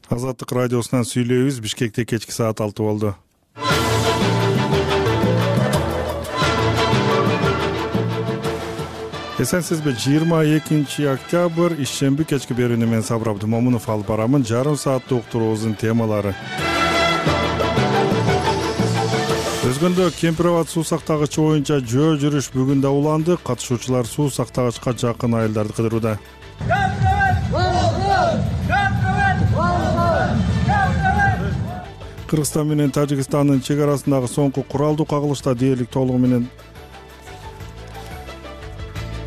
Азаттык радиосунан сүйлөйбүз. Бишкекте кечки саат 6 болду. Эсенсизби, 22 октябрь ишемби кечки берүүнү мен Сабыр Абдымомунов алып барамын. Жарым сааттык уктуруубуздун темалары. Өзгөндө Кемпир Абад суу сактагычы боюнча жөө жүрүш бүгүн да уланды. Катышуучулар суу сактагычка жакын айылдарды кыдырууда. Кыргызстан менен Тажикстандын чек арасындагы соңку куралдуу кагылышта дээрлик толугу менен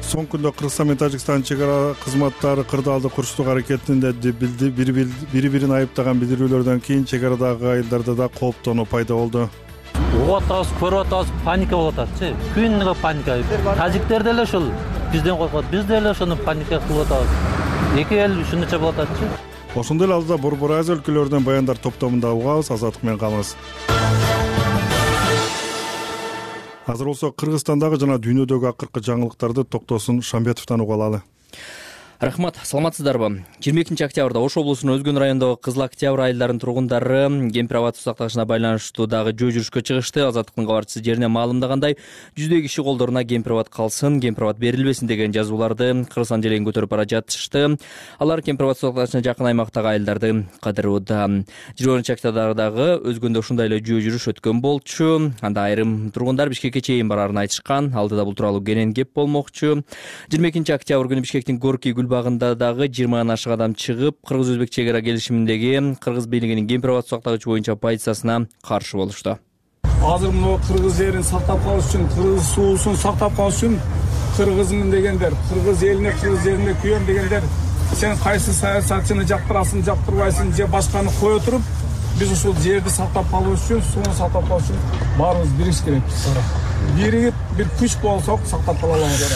соңку күндө Кыргызстан менен Тажикстандын чек ара кызматтары кырдаалды курчтук аракетинде бири-бирин айыптаган билдирүүлөрдөн кийин чек арадагы айылдарда да кооптонуу пайда болду. Угуп атабыз, көрүп атабыз, паника болуп атат. Күнгө паника. Тажиктер деле ушул бизден коркот, биз деле ошону паника кылып атабыз. Эки эл ушунча болуп атат. Ошондой эле алдыда Борбор Азия өлкөлөрүнөн баяндар топтомунда угабыз. Азаттык менен калыңыз. Азыр болсо Кыргызстандагы жана дүйнөдөгү акыркы жаңылыктарды Токтосун Шамбетовдон угуп алалы. Рахмат, саламатсыздарбы? 22 октябрда Ош облусунун Өзгөн районундагы Кызыл Октябрь айылдарынын тургундары Кемпир Абад суу сактагычына байланыштуу дагы жөө жүрүшкө чыгышты. Азаттыктын кабарчысы жеринен маалымдагандай, жүздөй киши колдоруна Кемпир Абад калсын, Кемпир Абад берилбесин деген жазууларды Кыргызстан желегин көтөрүп бара жатышты. Алар Кемпир Абад суу сактагычына жакын аймактагы айылдарды кыдырууда. 20 октябрдагы Өзгөндө ушундай эле жөө жүрүш өткөн болчу. Анда айрым тургундар Бишкекке чейин бараарын айтышкан. Алдыда бул тууралуу кенен кеп болмокчу. 22 октябрь күнү Бишкектин Горький багында дагы 20 ашык адам чыгып, кыргыз-өзбек чек ара келишиминдеги кыргыз бийлигинин Кемпир Абад суу сактагычы боюнча позициясына каршы болушту. Азыр мына кыргыз жерин сактап калыш үчүн, кыргыз суусун сактап калыш үчүн кыргызмын дегендер, кыргыз элине, кыргыз жерине күйөм дегендер, сен кайсы саясатчыны жактырасың, жактырбайсың же башканы кое туруп, биз ушул жерди сактап калыш үчүн, сууну сактап калыш үчүн баарыбыз бириш керек. Биригип бир күч болсок сактап кала алабыз.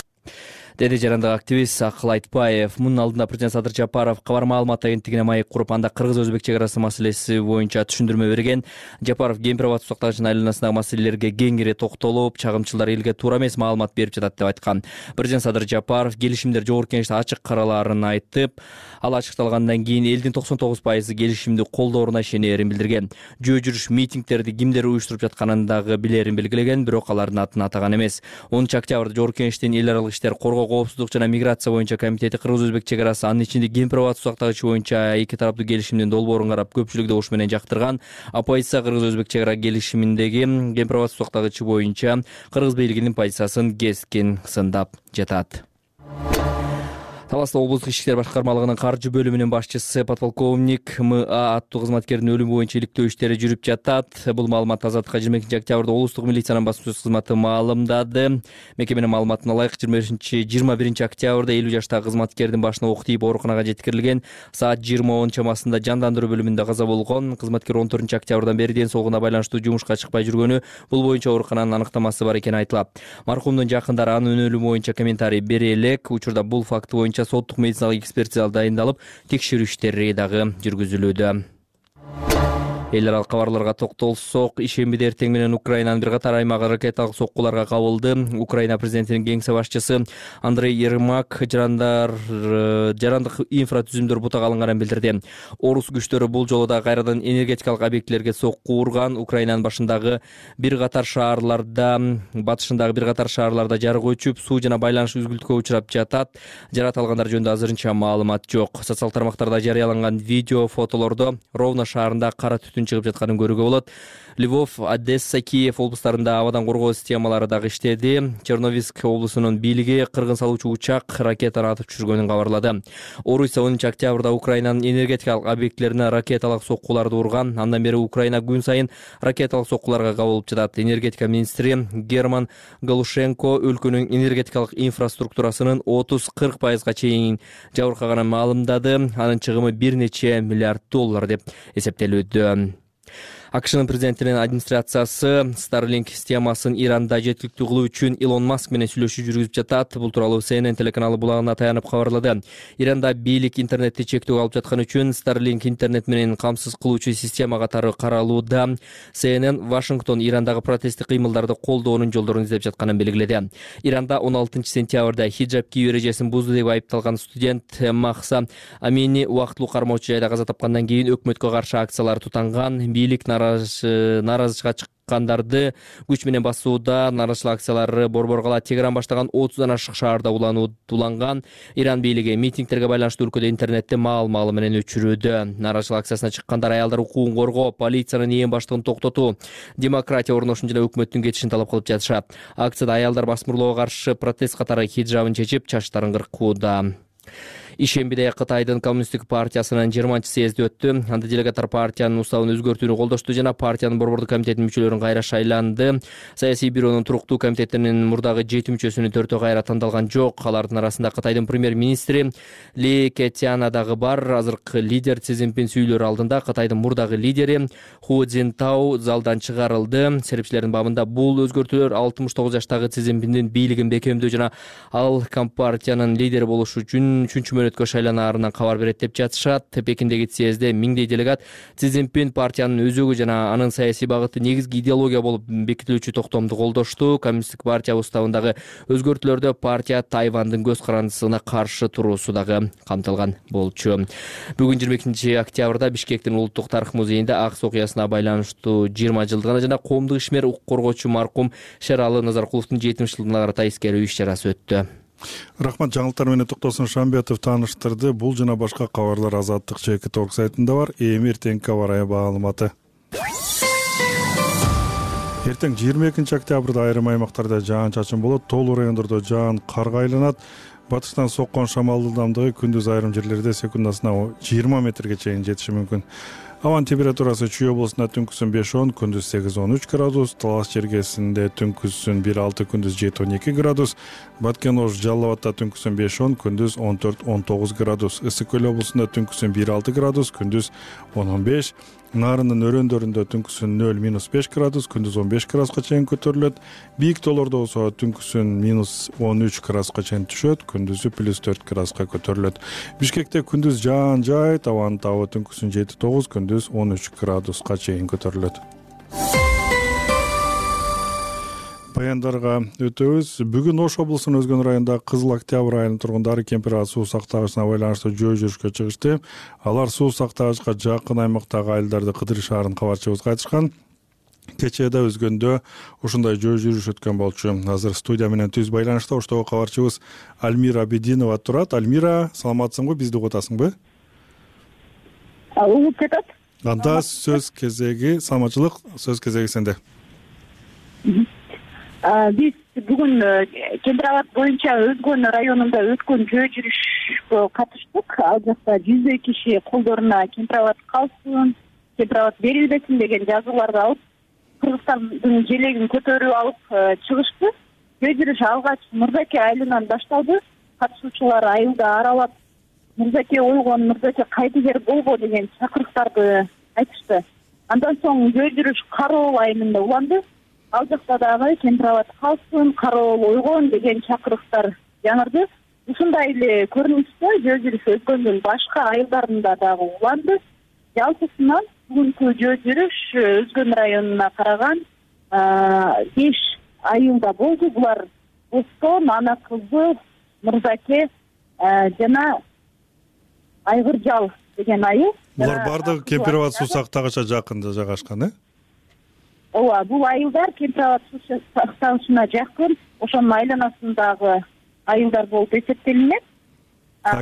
Деди жарандык активист Акыл Айтбаев. Мунун алдында президент Садыр Жапаров кабар маалымат агенттигине маек куруп, анда кыргыз-өзбек чек арасы маселеси боюнча түшүндүрмө берген. Жапаров Кемпир Абад суу сактагычынын айланасындагы маселелерге кеңири токтолуп, чагымчылар элге туура эмес маалымат берип жатат деп айткан. Президент Садыр Жапаров келишимдер жогорку кеңеште ачык каралаарын айтып, ал ачыкталгандан кийин элдин 99% келишимди колдооруна ишенерин билдирген. Жөө жүрүш митингдерди кимдер уюштуруп жатканын дагы билерин белгилеген, бирок алардын атын атаган эмес. 10 октябрда жогорку кеңештин эл аралык иштер коргоо, коопсуздук жана миграция боюнча комитети кыргыз-өзбек чек арасы, анын ичинде Кемпир Абад суу сактагычы боюнча эки тараптуу келишимдин долбоорун карап, көпчүлүк добуш менен жактырган. Оппозиция кыргыз-өзбек чек ара келишиминдеги Кемпир Абад суу сактагычы боюнча кыргыз бийлигинин позициясын кескин сындап жатат. Таласта облустук ички иштер башкармалыгынын каржы бөлүмүнүн башчысы подполковник МА аттуу кызматкердин өлүмү боюнча иликтөө иштери жүрүп жатат. Бул маалымат Азаттыкка 22 октябрда облустук милициянын басма сөз кызматы маалымдады. Мекеменин маалыматына ылайык 21 октябрда 50 жаштагы кызматкердин башына ок тийип ооруканага жеткирилген. Саат 20:10 чамасында жандандыруу бөлүмүндө каза болгон. Кызматкер 14 октябрдан бери ден соолугуна байланыштуу жумушка чыкпай жүргөнү, бул боюнча оорукананын аныктамасы бар экени айтылат. Маркумдун жакындары анын өлүмү боюнча комментарий бере элек. Учурда бул факты боюнча соттук медициналык экспертиза дайындалып, текшерүү иштери дагы жүргүзүлүүдө. Эл аралык кабарларга токтолсок, ишембиде эртең менен Украинанын бир катар аймагы ракеталык соккуларга кабылды. Украина президентинин кеңсе башчысы Андрей Ермак жарандык инфратүзүмдөр бутак алынганын билдирди. Орус күчтөрү бул жолу да кайрадан энергетикалык объектилерге сокку урган. Украинанын батышындагы бир катар шаарларда жарык өчүп, суу жана байланыш үзгүлтүккө учурап жатат. Жаракат алгандар жөнүндө азырынча маалымат жок. Социал тармактарда жарыяланган видео, фотолордо Ровно шаарында кара түтүн чыгып жатканын көрүүгө болот. Львов, Одесса, Киев облустарында абадан коргоо системалары дагы иштеди. Черновицк облусунун бийлиги кыргын салуучу учак ракетаны атып түшүргөнүн кабарлады. Орусия 10 октябрда Украинанын энергетикалык объектлерине ракеталык соккуларды урган. Андан бери Украина күн сайын ракеталык соккуларга кабылып жатат. Энергетика министри Герман Галушенко өлкөнүн энергетикалык инфраструктурасынын 30-40% чейин жабыркаганын маалымдады. Анын чыгымы $1 нече миллиард деп эсептелүүдө. АКШнын президентинин администрациясы Starlink системасын Иранда жеткиликтүү кылуу үчүн Илон Маск менен сүйлөшүү жүргүзүп жатат. Бул тууралуу CNN телеканалы булагына таянып кабарлады. Иранда бийлик интернетти чектөө алып жаткан үчүн Starlink интернет менен камсыз кылуучу система катары каралууда. CNN Вашингтон Ирандагы протесттик кыймылдарды колдоонун жолдорун издеп жатканын белгиледи. Иранда 16-сентябрда хиджаб кийүү эрежесин бузду деп айыпталган студент Махса Амини убактылуу кармоочу жайда каза тапкандан кийин өкмөткө каршы акциялар тутанган. Бийлик нааразычылыкка чыккандарды күч менен басууда. Нааразычылык акциялары Борборгала Тегеран баштаган 30дан ашык шаарда уланган. Иран бийлиги митингтерге байланыштуу өлкөдө интернетти маал-маалы менен өчүрүүдө. Нааразычылык акциясына чыккандар аялдар укугун коргоо, полициянын ээн баштыгын токтотуу, демократия орношун жана өкмөттүн кетишин талап кылып жатышат. Акцияда аялдар басмырлоого каршы протест катары хиджабын чечип, чачтарын кыркууда. Ишембиде Кытайдын коммунисттик партиясынын 20-съезди өттү. Анда делегаттар партиянын уставын өзгөртүүнү колдошту жана партиянын борбордук комитетинин мүчөлөрүн кайра шайланды. Саясий бюронун туруктуу комитетинин мурдагы 7 мүчөсүнүн 4-өө кайра тандалган жок. Алардын арасында Кытайдын премьер-министри Ли Кэтяна дагы бар. Азыркы лидер Си Цзиньпин сүйлөрү алдында Кытайдын мурдагы лидери Ху Цзинтао залдан чыгарылды. Серепчилердин бабында бул өзгөртүүлөр 69 жаштагы Си Цзиньпиндин бийлигин бекемдөө жана ал компартиянын лидери болуш үчүн 3-мөөнөткө шайланаарынан кабар берет деп жатышат. Пекиндеги съездде миңдей делегат Си Цзиньпин партиянын өзөгү жана анын саясий багыты негизги идеология болуп бекитилүүчү токтомду колдошту. Коммунисттик партия уставындагы өзгөртүүлөрдө партия Тайвандын көз карандысына каршы туруусу дагы камтылган болчу. Бүгүн 22 октябрда Бишкектин улуттук тарых музейинде Акс окуясына байланыштуу 20 жылдыгына жана коомдук ишмер, укук коргоочу маркум Шералы Назаркуловдун 70 жылдыгына карата эскерүү иш-чарасы өттү. Рахмат, жаңылыктар менен Токтосун Шамбетов тааныштырды. Бул жана башка кабарлар Азаттык чекит орг сайтында бар. Эртеңки кабар маалыматы. Эртең 22 октябрда айрым аймактарда жаан-чачын болот. Тоолуу райондордо жаан карга айланат. Батыштан соккон шамал ылдамдыгы күндүз айрым жерлерде секундасына 20 метрге чейин жетиши мүмкүн. Абанын температурасы Чүй облусунда түнкүсүн 5-10, күндүз 8-13 градус, Талас чергесинде түнкүсүн 1-6, күндүз 7-12 градус, Баткен Ош Жалал Абадта түнкүсүн 5-10, күндүз 14-19 градус, Ысык Көл облусунда түнкүсүн 1-6 градус, күндүз 10-15, Нарындын өрөөндөрүндө түнкүсүн 0-5 градус, күндүз 15 градуска чейин көтөрүлөт. Бийик тоолордо болсо түнкүсүн -13 градуска чейин түшөт, күндүзү +4 градуска көтөрүлөт. Бишкекте күндүз жаан жаайт, абанын табы түнкүсүн 7-9, күндүз 13 градуска чейин көтөрүлөт. Баяндарга өтөбүз. Бүгүн Ош облусунун Өзгөн районундагы Кызыл Октябрь айылынын тургундары Кемпир суу сактагычына байланыштуу жөө жүрүшкө чыгышты. Алар суу сактагычка жакын аймактагы айылдарды кыдырышаарын кабарчыбызга айтышкан. Кечээ да Өзгөндө ушундай жөө жүрүш өткөн болчу. Азыр студия менен түз байланышта оштогу кабарчыбыз Альмира Абидинова турат. Альмира, саламатсыңбы? Бизди угуп атасыңбы? Угуп жатат. Анда сөз кезеги, саламатчылык, сөз кезеги сенде. Биз бүгүн Кемпир Абад боюнча Өзгөн районунда өткөн жөө жүрүшкө катыштык. Ал жакта 100 киши колдоруна Кемпир Абад калсын, Кемпир Абад берилбесин деген жазууларды алып, Кыргызстандын желегин көтөрүп алып чыгышты. Жөө жүрүш алгач Мырзаке айылынан башталды. Катышуучулар айылда аралап, Мырзаке ойгон, Мырзаке кайдыгер болбо деген чакырыктарды айтышты. Андан соң жөө жүрүш Кароол айылында уланды. Ал жакта дагы Кемпир Абад калсын, Кароол ойгон деген чакырыктар жаңырды. Ушундай эле көрүнүштө жөө жүрүш Өзгөндүн башка айылдарында дагы уланды. Жалпысынан бүгүнкү жөө жүрүш Өзгөн районуна караган 5 айылда болду. Булар Бостон, Ана кызы, Мырзаке жана Айгыржал деген айыл. Булар бардыгы Кемпир Абад суу сактагыча жакында жайгашкан, Ооба, бул айылдар Кемпир Абад суу сактагычына жакын, ошонун айланасындагы айылдар болуп эсептелинет.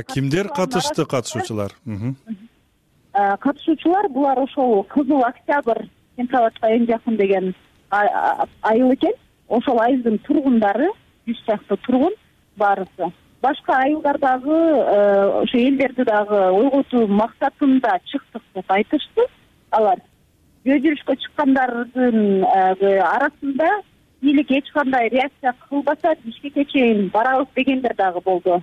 Кимдер катышты, катышуучулар? Катышуучулар булар ошол Кызыл Октябрь Кемпир Абадка эң жакын деген айыл экен. Ошол айылдын тургундары 100 чакты тургун баарысы. Башка айылдардагы ошо элдерди дагы ойготуу максатында чыктык деп айтышты. Алар жөө жүрүшкө чыккандардын арасында бийлик эч кандай реакция кылбаса Бишкекке чейин барабыз дегендер дагы болду.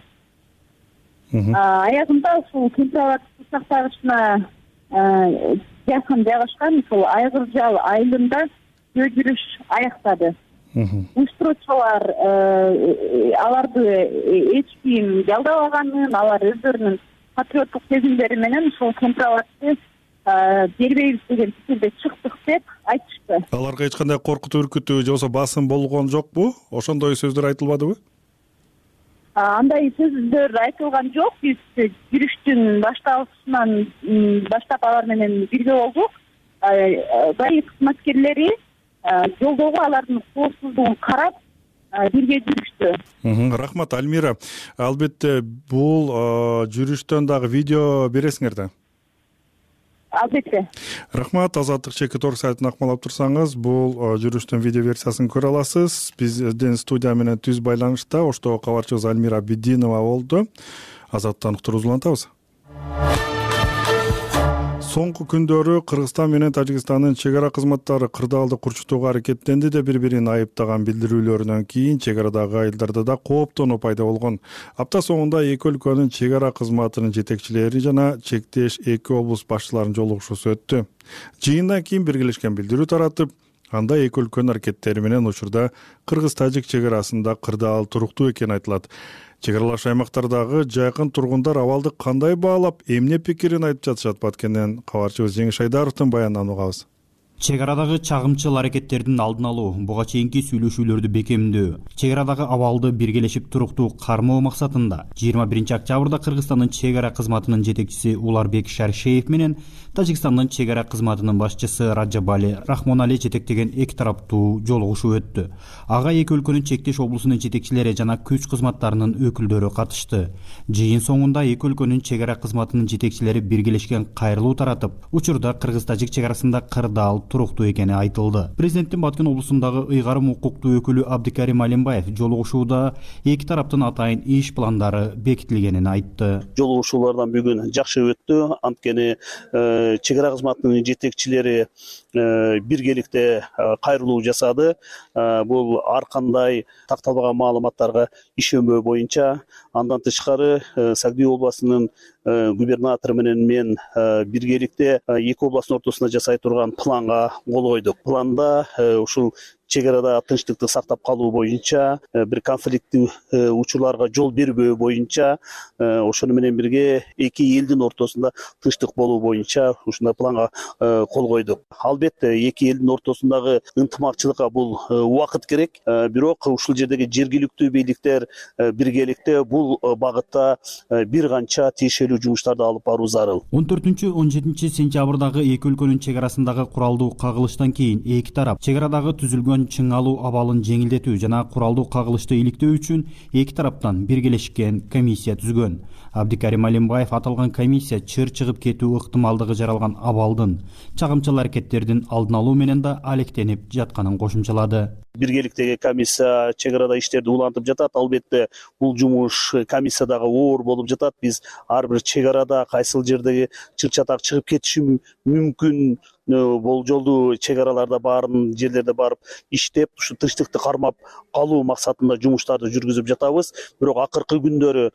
Аягында ушул Кемпир Абад суу сактагычына жакын жайгашкан ушул Айгыржал айылында жөө жүрүш аяктады. Уюштуруучулар аларды эч ким жалдабаганын, алар өздөрүнүн патриоттук сезимдери менен ушул Кемпирабадты бербейбиз деген пикирде чыктык деп айтышты. Аларга эч кандай коркутуу, үркүтүү же болбосо басым болгон жокпу? Ошондой сөздөр айтылбадыбы? Андай сөздөр айтылган жок. Биз жүрүштүн башталышынан баштап алар менен бирге болдук. Бай кызматкерлери жолдогу алардын коопсуздугун карап бирге жүрүштү. Рахмат, Альмира. Албетте бул жүрүштөн дагы видео бересиңер да? Албетте. Рахмат. Азаттык чекит орг сайтын акмалап турсаңыз, бул жүрүштүн видео версиясын көрө аласыз. Биздин студия менен түз байланышта Оштогу кабарчыбыз Альмира Абидинова болду. Азаттыктан уктуруубузду улантабыз. Соңку күндөрү Кыргызстан менен Тажикстандын чек ара кызматтары кырдаалды курчутууга аракеттенди деп бири-бирин айыптаган билдирүүлөрүнөн кийин чек арадагы айылдарда да кооптонуу пайда болгон. Апта соңунда эки өлкөнүн чек ара кызматынын жетекчилери жана чектеш эки облус башчыларынын жолугушуусу өттү. Жыйындан кийин биргелешкен билдирүү таратып, анда эки өлкөнүн аракеттери менен учурда Кыргыз-Тажик чек арасында кырдаал туруктуу экени айтылат. Чек аралаш аймактардагы жайкын тургундар абалды кандай баалап, эмне пикирин айтып жатышат? Баткенден кабарчыбыз Жеңиш Айдаровдун баянынан угабыз. Чек арадагы чагымчыл аракеттердин алдын алуу, буга чейинки сүйлөшүүлөрдү бекемдөө, чек арадагы абалды биргелешип туруктуу кармоо максатында 21 октябрда Кыргызстандын чек ара кызматынын жетекчиси Уларбек Шаршеев менен Тажикстандын чек ара кызматынын башчысы Раджабали Рахмонали жетектеген эки тараптуу жолугушуу өттү. Ага эки өлкөнүн чектеш облусунун жетекчилери жана күч кызматтарынын өкүлдөрү катышты. Жыйын соңунда эки өлкөнүн чек ара кызматынын жетекчилери биргелешкен кайрылуу таратып, учурда Кыргыз-Тажик чек арасында кырдаал туруктуу экени айтылды. Президенттин Баткен облусундагы ыйгарым укуктуу өкүлү Абдикарим Алимбаев жолугушууда эки тараптын атайын иш пландары бекитилгенин айтты. Жолугушуулардан бүгүн жакшы өттү. Анткени чек ара кызматынын жетекчилери биргеликте кайрылуу жасады. Бул ар кандай такталбаган маалыматтарга ишенбөө боюнча, андан тышкары Сагдуу областынын губернатору менен мен биргеликте эки областтын ортосунда жасай турган планга кол койдук. Планда ушул чек арада тынчтыкты сактап калуу боюнча, бир конфликттүү учурларга жол бербөө боюнча, ошону менен бирге эки элдин ортосунда тынчтык болуу боюнча ушундай планга кол койдук. Албетте эки элдин ортосундагы ынтымакчылыкка бул убакыт керек, бирок ушул жердеги жергиликтүү бийликтер биргеликте бул багытта бир канча тиешелүү жумуштарды алып баруу зарыл. 14-17 сентябрдагы эки өлкөнүн чек арасындагы куралдуу кагылыштан кийин эки тарап чек арадагы түзүлгөн чың алуу абалын жеңилдетүү жана куралдуу кагылышты иликтөө үчүн эки тараптан биргелешкен комиссия түзгөн. Абдикарим Алимбаев аталган комиссия чыр чыгып кетүү ыктымалдыгы жаралган абалдын, чагымчыл аракеттердин алдын алуу менен да алектенип жатканын кошумчалады. Биргеликтеги комиссия чек арада иштерди улантып жатат. Албетте бул жумуш комиссиядагы оор болуп жатат. Биз ар бир чек арада кайсыл жердеги чыр-чатак чыгып кетиши мүмкүн болжолдуу чек араларда баарын жерлерде барып иштеп, ушу тынчтыкты кармап калуу максатында жумуштарды жүргүзүп жатабыз. Бирок акыркы күндөрү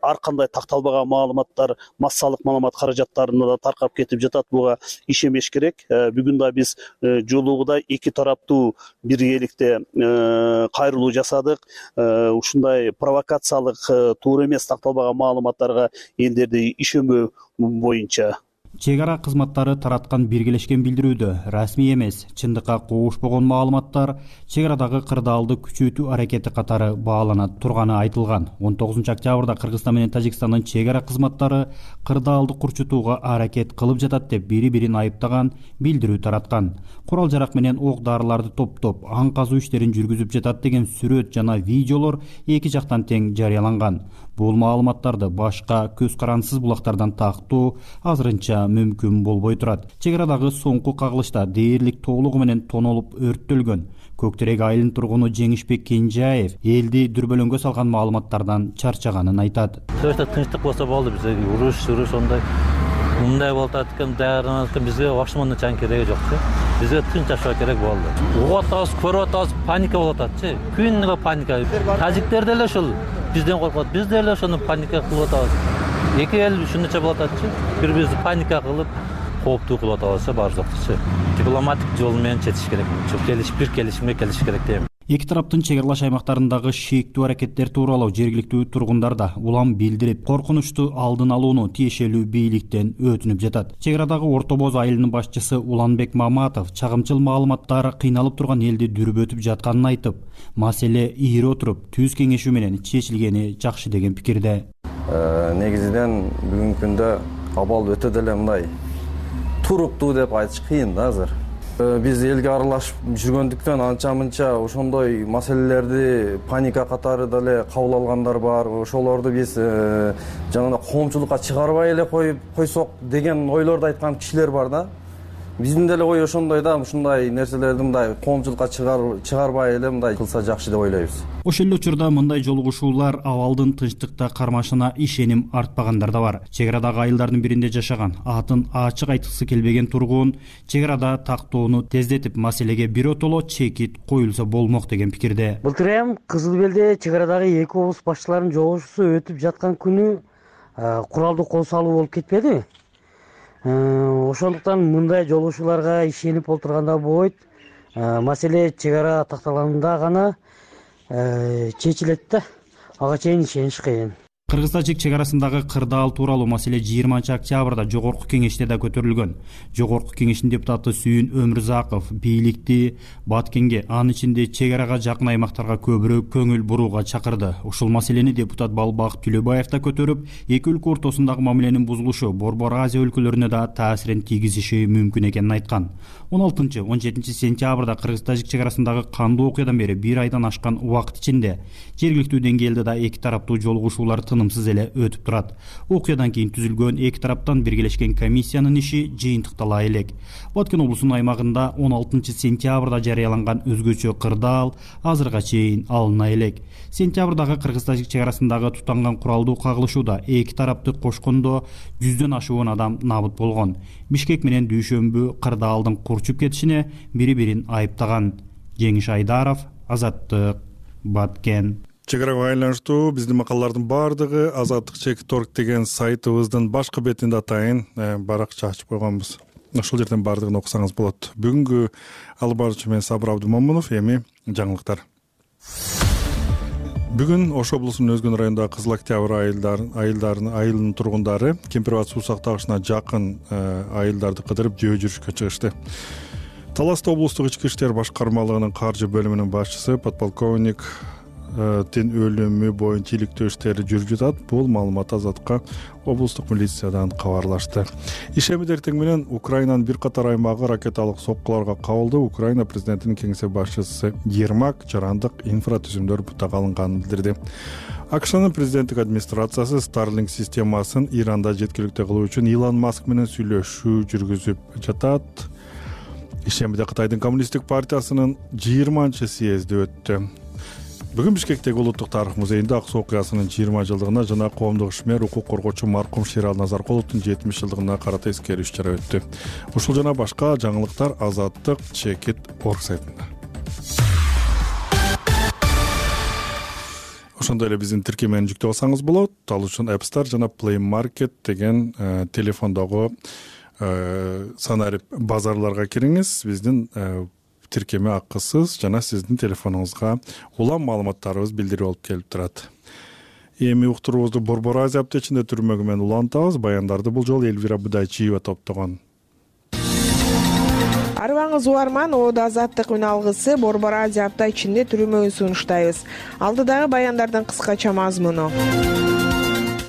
ар кандай такталбаган маалыматтар массалык маалымат каражаттарына да таркап кетип жатат. Буга ишенбеш керек. Бүгүн да биз жолугуда эки тараптуу биргеликте кайрылуу жасадык. Ушундай провокациялык, туура эмес такталбаган маалыматтарга элдерди ишенбөө боюнча. Чек ара кызматтары тараткан биргелешкен билдирүүдө расмий эмес, чындыкка куушпогон маалыматтар чек арадагы кырдаалды күчөтүү аракети катары баалана турганы айтылган. 19 октябрда Кыргызстан менен Тажикстандын чек ара кызматтары кырдаалды курчутууга аракет кылып жатат деп бири-бирин айыптаган билдирүү тараткан. Курал жарак менен ок дарыларды топтоп, аң казуу иштерин жүргүзүп жатат деген сүрөт жана видеолор эки жактан тең жарыяланган. Бул маалыматтарды башка көз карансыз булактардан тактоо азырынча мүмкүн болбой турат. Чек арадагы соңку кагылышта дээрлик толугу менен тонолуп өрттөлгөн. Көктерек айылынын тургуну Жеңишбек Кенжаев элди дүрбөлөңгө салган маалыматтардан чарчаганын айтат. Тынчтык болсо болду, бизге уруш ондай мындай болуп атат экен, даярданат экен, бизге Вашмондун чаң кереги жокчу. Бизге тынч жашоо керек болду. Угуп атабыз, көрүп атабыз, паника болуп ататчы. Күнүгө паника. Тажиктер деле ушул бизден коркот, биз деле ошону паника кылып атабыз. эки эл ушунча болуп ататчы, бири бирибизди паника кылып кооптуу кылып атабызчы, баары жоктучу. Дипломатик жол менен чечиш керек. Бир келишимге келиш керек дейм. Эки тараптын чек аралаш аймактарындагы шектүү аракеттер тууралуу жергиликтүү тургундар да улам билдирип, коркунучту алдын алууну тиешелүү бийликтен өтүнүп жатат. Чек арадагы Орто Боз айылынын башчысы Уланбек Маматов чагымчыл маалыматтар кыйналып турган элди дүрбөтүп жатканын айтып, маселе ийире отуруп түз кеңешүү менен чечилгени жакшы деген пикирде. Негизинен бүгүнкү күндө абал өтө деле мындай туруктуу деп айтыш кыйын да азыр. Биз элге аралашып жүргөндүктөн анча-мынча ошондой маселелерди паника катары деле кабыл алгандар бар. Ошолорду биз жанагындай коомчулукка чыгарбай эле койсок деген ойлорду айткан кишилер бар да. Биздин деле ой ошондой да, ушундай нерселерди мындай коомчулукка чыгарбай эле мындай кылса жакшы деп ойлойбуз. Ошол эле учурда мындай жолугушуулар абалдын тынчтыкта кармашына ишеним артпагандар да бар. Чек арадагы айылдардын биринде жашаган, атын ачык айткысы келбеген тургун чек арада тактоону тездетип, маселеге биротоло чекит коюлса болмок деген пикирде. Былтыр эми Кызыл Белде чек арадагы эки облус башчыларынын жолугушуусу өтүп жаткан күнү куралдуу кол салуу болуп кетпедиби? Ошондуктан мындай жолугушууларга ишенип олтурганда болбойт. Маселе чек ара такталганда гана чечилет да. Ага чейин ишениш кыйын. Кыргыз-тажик чек арасындагы кырдаал тууралуу маселе 20-октябрда Жогорку кеңеште да көтөрүлгөн. Жогорку кеңештин депутаты Сүйүн Өмүрзаков бийликти Баткенге, анын ичинде чек арага жакын аймактарга көбүрөөк көңүл бурууга чакырды. Ушул маселени депутат Балбак Түлөбаев да көтөрүп, эки өлкө ортосундагы мамиленин бузулушу Борбор Азия өлкөлөрүнө да таасирин тийгизиши мүмкүн экенин айткан. 16-17 сентябрда Кыргыз-тажик чек арасындагы кандуу окуядан бери бир айдан ашкан убакыт ичинде жергиликтүү деңгээлде да эки тараптуу жолугушуулар тынымсыз эле өтүп турат. Окуядан кийин түзүлгөн эки тараптан биргелешкен комиссиянын иши жыйынтыктала элек. Баткен облусунун аймагында 16 сентябрда жарыяланган өзгөчө кырдаал азырга чейин алына элек. Сентябрдагы Кыргыз-тажик чек арасындагы тутанган куралдуу кагылышууда эки тарапты кошкондо 100дөн ашуун адам набыт болгон. Бишкек менен Дүйшөмбү кырдаалдын курчуп кетишине бири-бирин айыптаган. Жеңиш Айдаров, Азаттык, Баткен. Чек арага байланыштуу биздин макалалардын баардыгы Азаттык.org деген сайтыбыздын башкы бетинде атайын баракча ачып койгонбуз. Ошол жерден баардыгын окусаңыз болот. Бүгүнкү алып баруучу мен Сабыр Абдумомунов, эми жаңылыктар. Бүгүн Ош облусунун Өзгөн районундагы Кызыл Октябрь айылынын тургундары Кемпирбат суу сактагычына жакын айылдарды кыдырып жөө жүрүшкө чыгышты. Таласта облустук ички иштер башкармалыгынын каржы бөлүмүнүн башчысы подполковник тин өлүмү боюнча иликтөө иштери жүрүп жатат. Бул маалымат Азатка облустук милициядан кабарлашты. Ишемби эртең менен Украинанын бир катар аймагы ракеталык соккуларга кабылды. Украина президентинин кеңсе башчысы Ермак жарандык инфратүзүмдөр бутага алынганын билдирди. АКШнын президенттик администрациясы Starlink системасын Иранда жеткиликтүү кылуу үчүн Илон Маск менен сүйлөшүү жүргүзүп жатат. Ишембиде Кытайдын коммунисттик партиясынын 20-съезди өттү. Бүгүн Бишкектеги Улуттук тарых музейинде Ак суу окуясынын 20 жылдыгына жана коомдук ишмер, укук коргоочу маркум Шерал Назаркуловдун 70 жылдыгына карата эскерүү иш-чара өттү. Ушул жана башка жаңылыктар Азаттык.org сайтында. Ошондой эле биздин тиркемени жүктөп алсаңыз болот. Ал үчүн App Store жана Play Market деген телефондогу санарип базарларга кириңиз. Биздин тиркеме акысыз жана сиздин телефонуңузга улам маалыматтарыбыз билдирип алып келип турат. Эми уктуруубузду Борбор Азия аптечинде түрмөгү менен улантабыз. Баяндарды бул жолу Элвира Будайчиева топтогон. Арыбаңыз уарман, Ода Азаттык үн алгысы Борбор Азия апта ичинде түрмөгүн сунуштайбыз. Алдыдагы баяндардын кыскача мазмуну.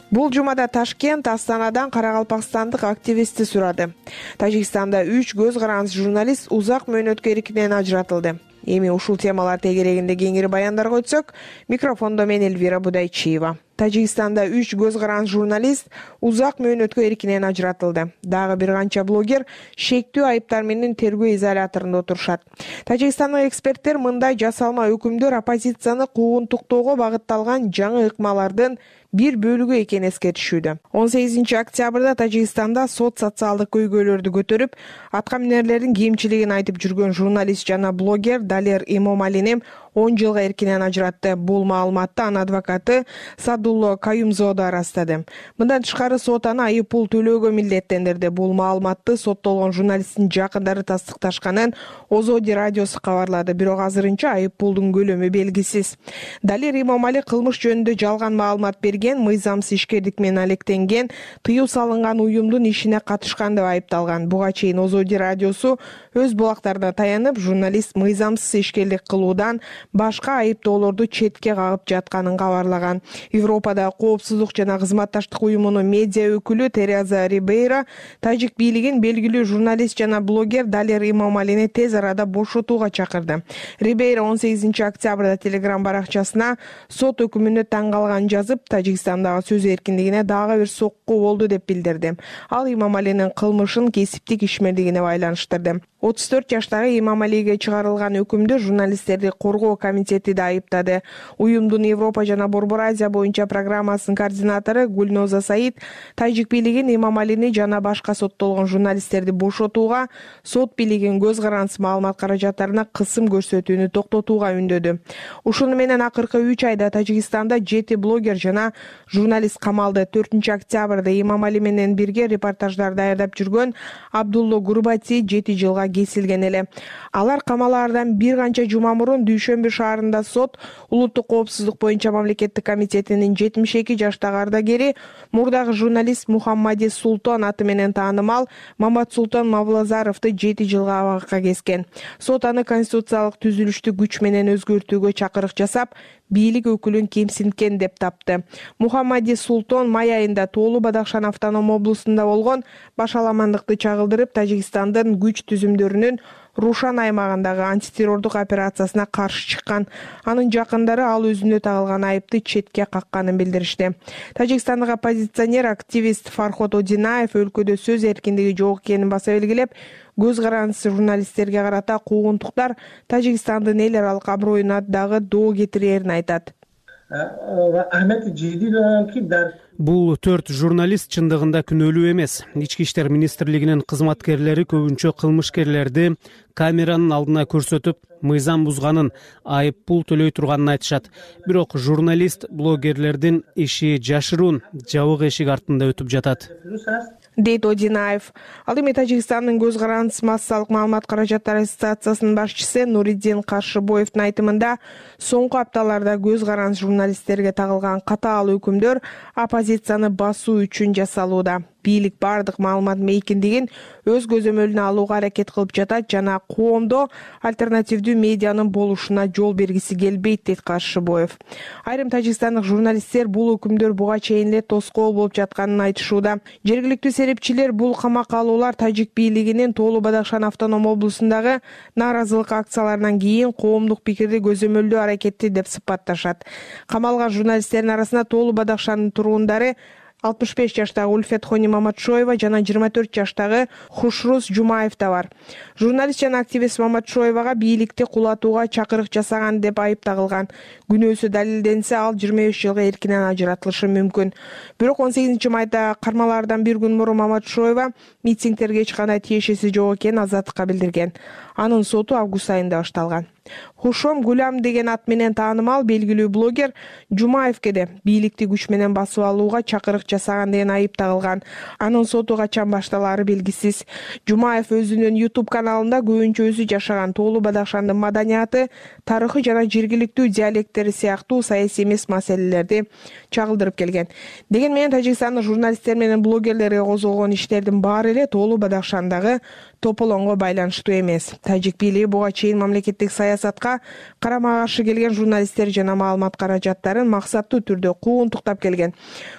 Бул жумада Ташкент Астанадан карагалпакстандык активистти сурады. Тажикстанда 3 көз карандыс журналист узак мөөнөткө эркинен ажыратылды. Эми ушул темалар тегерегинде кеңири баяндарга өтсөк, микрофондо мен Элвира Будайчиева. Тажикстанда 3 көз карандыс журналист узак мөөнөткө эркинен ажыратылды. Дагы бир канча блогер шектүү айыптар менен тергөө изоляторунда отурушат. Тажикстандык эксперттер мындай жасалма өкүмдөр оппозицияны куугунтуктоого багытталган жаңы ыкмалардын бир бөлүгү экенин эскертишүүдө. 18 октябрда Тажикстанда сот социалдык көйгөйлөрдү көтөрүп, аткаминерлердин кемчилигин айтып жүргөн журналист жана блогер Далер Имомалини 10 жылга эркинен ажыратты. Бул маалыматты анын адвокаты Садулло Каюмзода ырастады. Мындан тышкары сот аны айып пул төлөөгө милдеттендирди. Бул маалыматты соттолгон журналисттин жакындары тастыкташканын Озоди радиосу кабарлады. Бирок азырынча айып пулдун көлөмү белгисиз. Далер Имамали кылмыш жөнүндө жалган маалымат берген, мыйзамсыз ишкерлик менен алектенген, тыюу салынган уюмдун ишине катышкан деп айыпталган. Буга чейин Озоди радиосу өз булактарына таянып, журналист мыйзамсыз ишкерлик кылуудан башка айыптоолорду четке кагып жатканын кабарлаган. Европада коопсуздук жана кызматташтык уюмунун медиа өкүлү Тереза Рибейра тажик бийлигин белгилүү журналист жана блогер Далер Имамалини тез арада бошотууга чакырды. Рибейра 18 октябрда Telegram баракчасына сот өкүмүнө таң калганын жазып, Тажикстандагы сөз эркиндигине дагы бир сокку болду деп билдирди. Ал Имамалинин кылмышын кесиптик ишмердигине байланыштырды. 34 жаштагы Имамалиге чыгарылган өкүмдү журналисттерди коргоо комитети да айыптады. Уюмдун Европа жана Борбор Азия боюнча программасынын координатору Гульноза Саид тажик бийлигин Имамалини жана башка соттолгон журналисттерди бошотууга, сот бийлигин көз карандысыз маалымат каражаттарына кысым көрсөтүүнү токтотууга үндөдү. Ушуну менен акыркы 3 айда Тажикстанда 7 блогер жана журналист камалды. 4 октябрда Имамали менен бирге репортаждар даярдап жүргөн Абдулло Гурбати 7 жылга кесилген эле. Алар камалаардан бир канча жума мурун Дүйшөмбү шаарында сот улуттук коопсуздук боюнча мамлекеттик комитетинин 72 жаштагы ардагери, мурдагы журналист Мухаммади Султан аты менен таанымал Мамат Султан Мавлазаровду 7 жылга абакка кескен. Сот аны конституциялык түзүлүштү күч менен өзгөртүүгө чакырык жасап, бийлик өкүлүн кемсинткен деп тапты. Мухаммади Султан май айында Тоолу Бадахшан автоном облусунда болгон башаламандыкты чагылдырып, Тажикстандын күч түзүмдөрүнүн Рушан аймагындагы антитеррордук операциясына каршы чыккан. Анын жакындары ал өзүнө тагылган айыпты четке какканын билдиришти. Тажикстандык оппозиционер активист Фархот Одинаев өлкөдө сөз эркиндиги жок экенин баса белгилеп, көз карандысыз журналисттерге карата куугунтуктар Тажикстандын эл аралык аброюна дагы доо кетирээрин айтат. Бул 4 журналист чындыгында күнөөлүү эмес. Ички иштер министрлигинин кызматкерлери көбүнчө кылмышкерлерди камеранын алдына көрсөтүп, мыйзам бузганын, айып пул төлөй турганын айтышат. Бирок журналист, блогерлердин иши жашыруун, жабык эшик артында өтүп жатат, дейт Одинаев. Ал эми Тажикстандын көз карандысыз массалык маалымат каражаттары ассоциациясынын башчысы Нуриддин Каршыбоевдун айтымында, соңку апталарда көз карандысыз журналисттерге тагылган катаал өкүмдөр оппозицияны басуу үчүн жасалууда. Бийлик бардык маалымат мейкиндигин өз көзөмөлүнө алууга аракет кылып жатат жана коомдо альтернативдүү медианын болушуна жол бергиси келбейт, дейт Каршыбоев. Айрым тажикстандык журналисттер бул өкүмдөр буга чейин эле тоскоол болуп жатканын айтышууда. Жергиликтүү серепчилер бул камакка алуулар тажик бийлигинин Тоолу Бадахшан автоном облусундагы нааразылык акцияларынан кийин коомдук пикирди көзөмөлдөө аракети деп сыпатташат. Камалган журналисттердин арасында Тоолу Бадахшандын тургундары 65 жаштагы Ульфет Хони Маматшоева жана 24 жаштагы Хушрус Жумаев да бар. Журналист жана активист Маматшоевага бийликти кулатууга чакырык жасаган деп айып тагылган. Күнөөсү далилденсе, ал 25 жылга эркинен ажыратылышы мүмкүн. Бирок 18 майда кармалаардан бир күн мурун Маматшоева митингтерге эч кандай тиешеси жок экенин азаттыкка билдирген. Анын соту август айында башталган. Хушом Гулям деген ат менен таанымал белгилүү блогер Жумаевке де бийликти күч менен басып алууга чакырык жасаган деген айып тагылган. Анын соту качан башталаары белгисиз. Жумаев өзүнүн YouTube каналында көбүнчө өзү жашаган Тоолу Бадахшандын маданияты, тарыхы жана жергиликтүү диалекттери сыяктуу саясий эмес маселелерди чагылдырып келген. Деген менен Тажикстандын журналисттер менен блогерлерге козголгон иштердин баары эле Тоолу Бадахшандагы тополоңго байланыштуу эмес. Тажик бийлиги буга чейин мамлекеттик саясатка карама каршы келген журналисттер жана маалымат каражаттарын максаттуу түрдө куугунтуктап келген.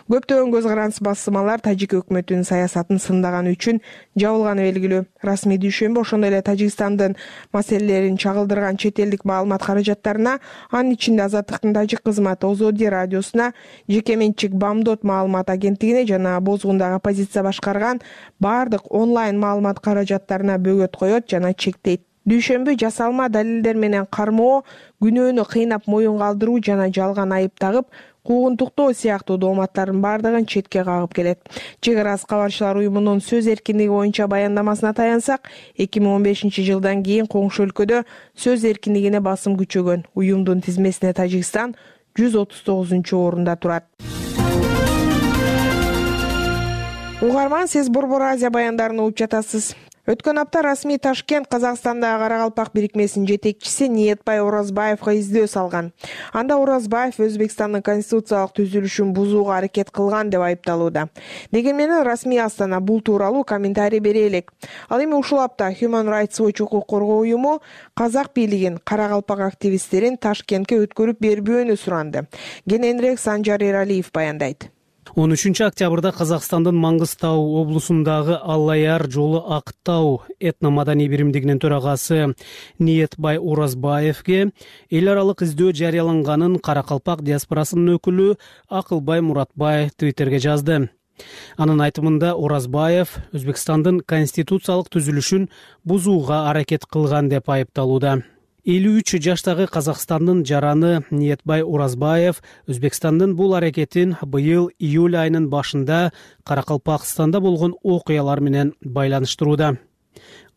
Көптөгөн көз карандысыз басылмалар тажик өкмөтүнүн саясатын сындаган үчүн жабылганы белгилүү. Расмий Дүйшөмбү ошондой эле Тажикстандын маселелерин чагылдырган чет элдик маалымат каражаттарына, анын ичинде Азаттыктын тажик кызматы Озоди радиосуна, жеке менчик Бамдот маалымат агенттигине жана Бозгундагы оппозиция башкарган бардык онлайн маалымат каражаттарына бөгөт коет жана чектейт. Дүйшөмбү жасалма далилдер менен кармоо, күнөөнү кыйнап моюн калтыруу жана жалган айып тагып, куугунтуктоо сыяктуу дооматтардын баардыгын четке кагып келет. Чек ара кабарчылар уюмунун сөз эркиндиги боюнча баяндамасына таянсак, 2015-жылдан кийин коңшу өлкөдө сөз эркиндигине басым күчөгөн. Уюмдун тизмесине Тажикстан 139-орунда турат. Угарман, сиз Борбор Азия баяндарын угуп жатасыз. Өткөн апта расмий Ташкент Казакстандагы Каракалпак бирикмесинин жетекчиси Ниетбай Оразбаевга издөө салган. Анда Оразбаев Өзбекстандын конституциялык түзүлүшүн бузууга аракет кылган деп айыпталууда. Дегенменен расмий Астана бул тууралуу комментарий бере элек. Ал эми ушул апта Human Rights Watch укук коргоо уюму казак бийлигин Каракалпак активисттерин Ташкентке өткөрүп бербөөнү суранды. Кененирээк Санжар Эралиев баяндайт. 13-октябрда Казакстандын Маңгыстау облусундагы Аллаяр жолу Актау этно-маданий биримдигинин төрагасы Ниетбай Оразбаевге эл аралык издөө жарыяланганын Каракалпак диаспорасынын өкүлү Акылбай Муратбай Твиттерге жазды. Анын айтымында Оразбаев Өзбекстандын конституциялык түзүлүшүн бузууга аракет кылган деп айыпталууда. 53 жаштагы Казакстандын жараны Ниетбай Оразбаев Өзбекстандын бул аракетин быйыл июль айынын башында Каракалпакстанда болгон окуялар менен байланыштырууда.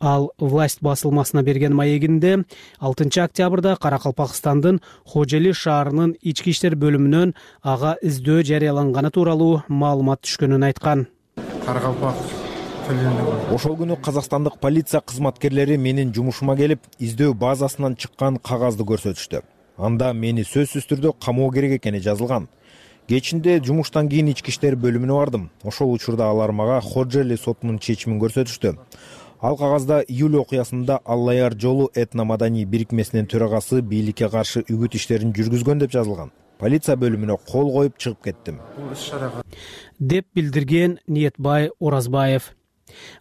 Ал власть басылмасына берген маегинде 6-октябрда Каракалпакстандын Хожели шаарынын ички иштер бөлүмүнөн ага издөө жарыяланганы тууралуу маалымат түшкөнүн айткан. Каракалпак Ошол күнү казакстандык полиция кызматкерлери менин жумушума келип, издөө базасынан чыккан кагазды көрсөтүштү. Анда мени сөзсүз түрдө камоо керек экени жазылган. Кечинде жумуштан кийин ички иштер бөлүмүнө бардым. Ошол учурда алар мага Ходжели сотунун чечимин көрсөтүштү. Ал кагазда июль окуясында Аллаяр жолу этно-маданий бирикмесинин төрагасы бийликке каршы үгүт иштерин жүргүзгөн деп жазылган. Полиция бөлүмүнө кол коюп чыгып кеттим, деп билдирген Ниетбай Оразбаев.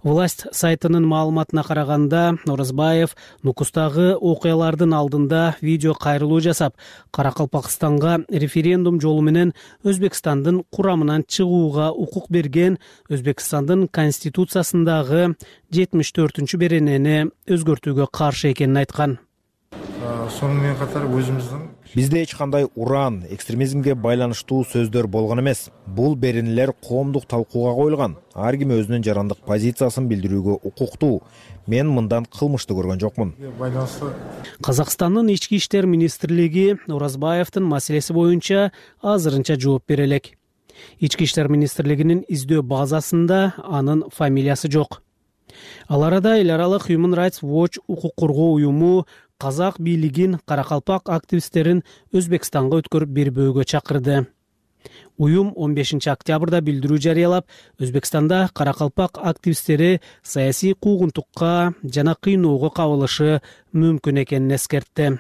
Власть сайтынын маалыматына караганда, Оразбаев Нукустагы окуялардын алдында видео кайрылуу жасап, Каракалпакстанга референдум жолу менен Өзбекстандын курамынан чыгууга укук берген Өзбекстандын конституциясындагы 74-беренени өзгөртүүгө каршы экенин айткан. Сонун менен катар өзүмүздүн бизде эч кандай уран, экстремизмге байланыштуу сөздөр болгон эмес. Бул беренелер коомдук талкууга коюлган. Ар ким өзүнүн жарандык позициясын билдирүүгө укуктуу. Мен мындан кылмышты көргөн жокмун. Казакстандын ички иштер министрлиги Оразбаевдин маселеси боюнча азырынча жооп бере элек. Ички иштер министрлигинин издөө базасында анын фамилиясы жок. Ал арада эл аралык Human Rights Watch укук коргоо уюму казак бийлигин Каракалпак активисттерин Өзбекстанга өткөрүп бербөөгө чакырды. Уюм 15-октябрда билдирүү жарыялап, Өзбекстанда Каракалпак активисттери саясий куугунтукка жана кыйноого кабылышы мүмкүн экенин эскертти.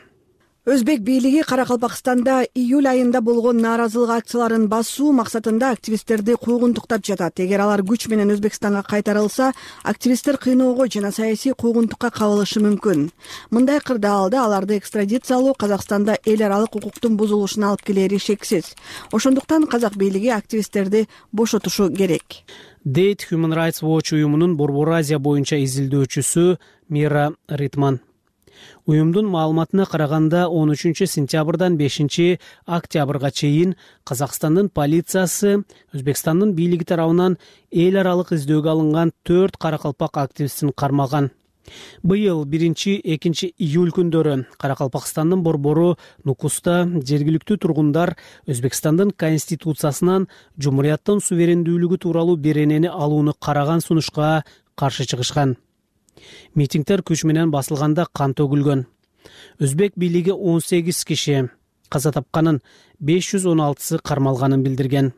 Өзбек бийлиги Каракалпакстанда июль айында болгон нааразылык акцияларын басуу максатында активисттерди куугунтуктап жатат. Эгер алар күч менен Өзбекстанга кайтарылса, активисттер кыйноого жана саясий куугунтукка кабылышы мүмкүн. Мындай кырдаалда аларды экстрадициялоо Казакстанда эл аралык укуктун бузулушуна алып келери шексиз. Ошондуктан казак бийлиги активисттерди бошотушу керек, дейт Human Rights Watch уюмунун Борбор Азия боюнча изилдөөчүсү Мира Ритман. Уюмдун маалыматына караганда 13-сентябрдан 5-октябрга чейин Казакстандын полициясы Өзбекстандын бийлиги тарабынан эл аралык издөөгө алынган 4 Каракалпак активистин кармаган. Быйыл 1-2 июль күндөрү Каракалпакстандын борбору Нукуста жергиликтүү тургундар Өзбекстандын конституциясынан жумурияттын суверендүүлүгү тууралуу беренени алууну караган сунушка каршы чыгышкан. Митингдер күч менен басылганда кан төгүлгөн. Өзбек бийлиги 18 киши каза тапканын, 516сы кармалганын билдирген.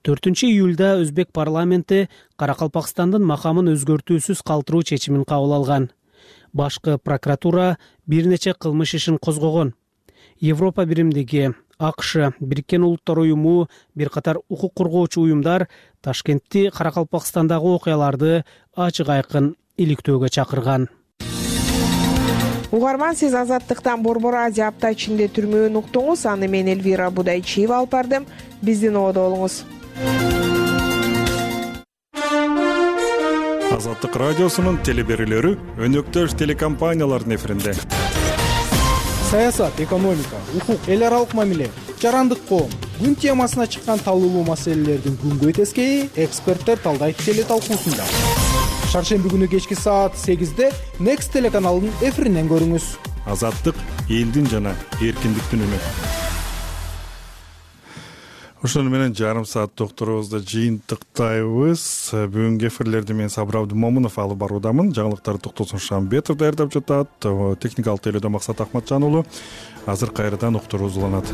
4-июлда Өзбек парламенти Каракалпакстандын макамын өзгөртүүсүз калтыруу чечимин кабыл алган. Башкы прокуратура бир нече кылмыш ишин козгогон. Европа биримдиги, АКШ, Бириккен Улуттар уюму, бир катар укук коргоочу уюмдар Ташкентти Каракалпакстандагы окуяларды ачык айкын иликтөөгө чакырган. Угарман, сиз Азаттыктан Борбор Азия апта ичинде түрмөөнү уктуңуз. Аны мен Элвира Будайчиева алып бардым. Биздин ободо болуңуз. Азаттык радиосунун телеберүүлөрү өнөктөш телекомпаниялардын эфиринде. саясат, экономика, укук, эл аралык мамиле, жарандык коом күн темасына чыккан талуулуу маселелердин күнгөй тескейи эксперттер талдайт теле талкуусунда. Шаршемби күнү кечки саат 8-де Next телеканалынын эфиринен көрүңүз. Азаттык элдин жана эркиндиктин үнү. Ошону менен жарым саат докторубузду жыйынтыктайбыз. Бүгүнкү эфирлерди мен Сабыр Абдымомунов алып баруудамын. Жаңылыктарды Токтосун Шамбетов даярдап жатат. Техникалык тейлөөдө Максат Акматжан уулу. Азыр кайрадан уктуруубуз уланат.